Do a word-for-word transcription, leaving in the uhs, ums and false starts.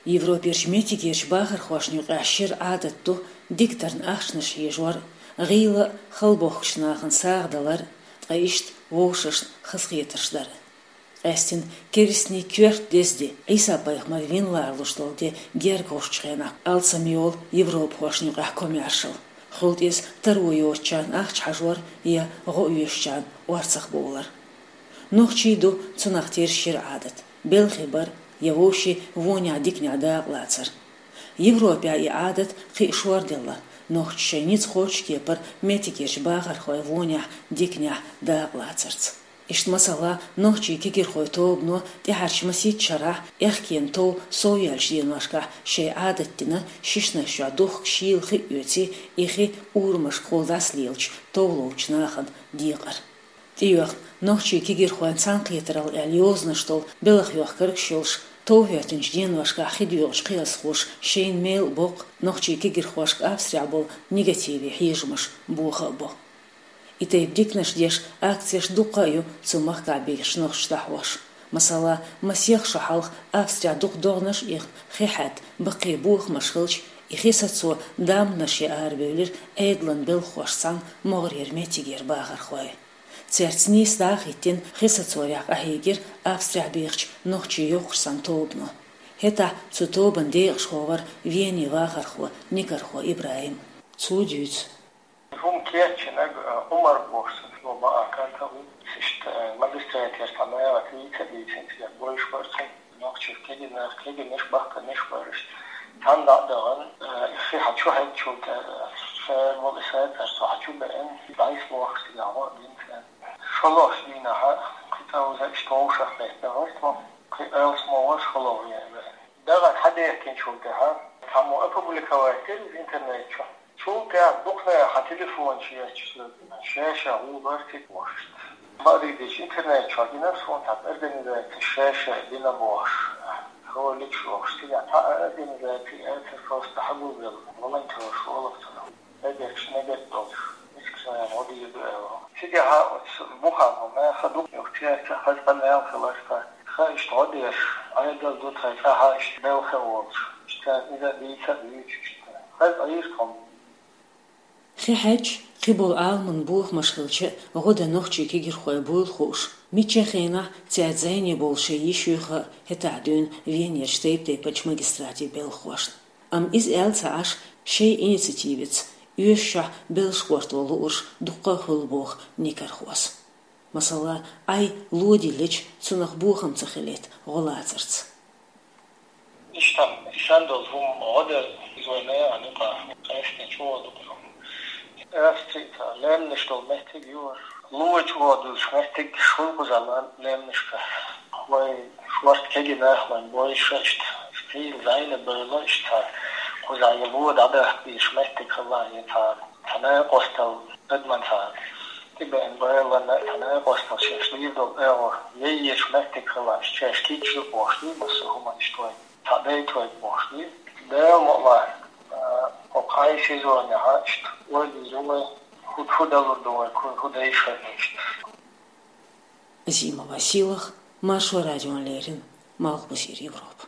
Европерчу меттигерчу бахархошна юкъахь шира Ӏадат ду дикадарна ахчанаш хьежор, гӀийла а, халбохкучу нахана сагӀа далар, ткъа иштта вовшашна хазахетарш дар. Къаьстина керстанийн коьрта деза де, Ӏийса-пайхамар вина ларалуш долу де герга гӀуш чу хенахь алсам йолу европахошна юкъахь комаьршалла. Хуьлда иза таро йоцучарна ахча хьажор я гӀо оьшучарна орцах бовлар. Нохчийн ду цунах тера шира Ӏадат: белхи бар я вовшийн вонехь-диканехь дакъалацар. Европехь и Ӏадат кхин а шорделла, нохчаша шайн ницкъ кхочу кепара меттигерчу бахархойн вонехь-диканехь дакъалацарца. Иштта, масала, нохчийн кегирхойн тобано тӀаьхьарчу масийтта шарахь аьхкенан тов совъяьллачу деношкахь шайн Ӏадат дина, шишнаш чохь духкуш шийла хи а оьций, и хи урамашкахула дӀасалелачу товлучу нахана декъар. ТӀейоьхна нохчийн кегирхойн цхьаьнакхетаралла аьлла йозанаш долу белхан йохкаргаш йолуш, тов хӀоьттинчу деношкахь хи доьгӀучу кхиазхоша шайна мел а боккху, нохчийн кегирхошка Австрехь болу негативе хьежамаш боха а бо. И тайпа диканаш деш акцеш дуккха а ю цу махкахь бехачу нохчаша дӀахьош. Масала, масех шо хьалха Австрехь дукха догӀанаш а ихна, хи хьаьдда баккхий бохамаш хилча, и хи сацо дамбанаш ян арабевлира Ӏедалан белхахошца цхьаьна могӀарера меттигера бахархой. Цаьрца нийса дӀа а хӀиттина, хи сацорехь къахьегира Австрехь бехачу нохчийн йоккхачу санна тобано. ХӀетахь цу тобанан декъашхо вара Венин вахархо Никархо ИбрахӀим. Цо дуьйцу. ХӀума кечйинарг, а, Ӏумар бохуш цхьа баа кӀант а ву. Иштта, а, магистратера цхьа мехах дийца а дийцина, цигахь бовзуш бара цхьа нохчийн кегийнаш, кегийнаш, бахканаш бара иштта. Цхьаьна дӀа а дахана, а, и хи хьан чу хьаьддачул тӀаьхьа, а, ша волу и сацар со хьан чу беана, дӀасабохуш цигахь гӀо а дина царна. ШолгӀачу дийнахь кхин цкъа вуза иштта вовшах беттан вара тхо, кхин алсам вара шолгӀа вен а веана. Дахар хьадехкинчул тӀаьхьа цхьаммо опубликовать дира иза интернет чу. Цул тӀаьхьа дукха нехан телефонаш ечча, ша-ша гӀуллакх ца бохуш. Бакъдерг дийцича, интернет чохь гина суна цхьа организаци ша-ша дина бохуш, роликаш йохуш. Цигахь цхьа а организаци яцара, просто хьагулбелла волонтёраш олу цунах. Дагерчу негат долуш, мискачу нахана гӀо дийр ду аьлла. Цигахь оцу бухахь бу нах а дукха юхачерча, хаза къамел хилар тхан. Тхан иштта гӀо деш, Ӏедал ду тхан, тӀаьхьа иштта белхе волуш, иштта иза дийца а дуьйцуш, иштта хаза Ӏийра тхо. Хи хьаьдча, кхиболу Ӏаламан бохамаш хилча, гӀо дан нохчийн кегирхой буйла хууш, мичча хенахь цаьрца зӀене болу шайн йиш юьйху а хӀетахь дуьйна Венерчу тайп-тайпанчу магистратийн белхахошна. Амма иза аьлла ца Ӏаш, шайн инициативаца оьшучохь белшахошна луурш дуккха а хуьлу боху Никархос. Масала, Ӏай ло диллича, цунах бохам ца хилийта гӀо лацарца. Иштта, сан долу хӀума гӀо дара иза вайн механа юкъахь, къаьсттина чӀогӀа дукха хӀума. Австрехь лаьмнаш долу меттиг ю вайн. Ло чӀогӀа долуш меттиг шуна кхузахь лаьмнашкахь. Вайн шорта кегийнаш, вайн бойша иштта, стил зайна бевлла иштта, кхузахь я ло дӀадахка дезаш меттиг хилла, я цхьа, цхьа накъосталла, адаман цхьа тӀебеана бевлла, цхьа накъосталла шаьш лийр долу агӀо яйъеш меттиг хилла, иштта шаьш кийча ю бохуш ду массо а хӀуманаш тхой. Цхьа дайтойта бохуш ду. Дала мукъ лахь, а, хӀокху Ӏай сезонехь иштта ойла йийр ю вай, хӀу, хӀу далур ду вай, хӀу, хӀу дайша иштта. Зима Василах, Маршо радиона леррина, Малхбузера Европа.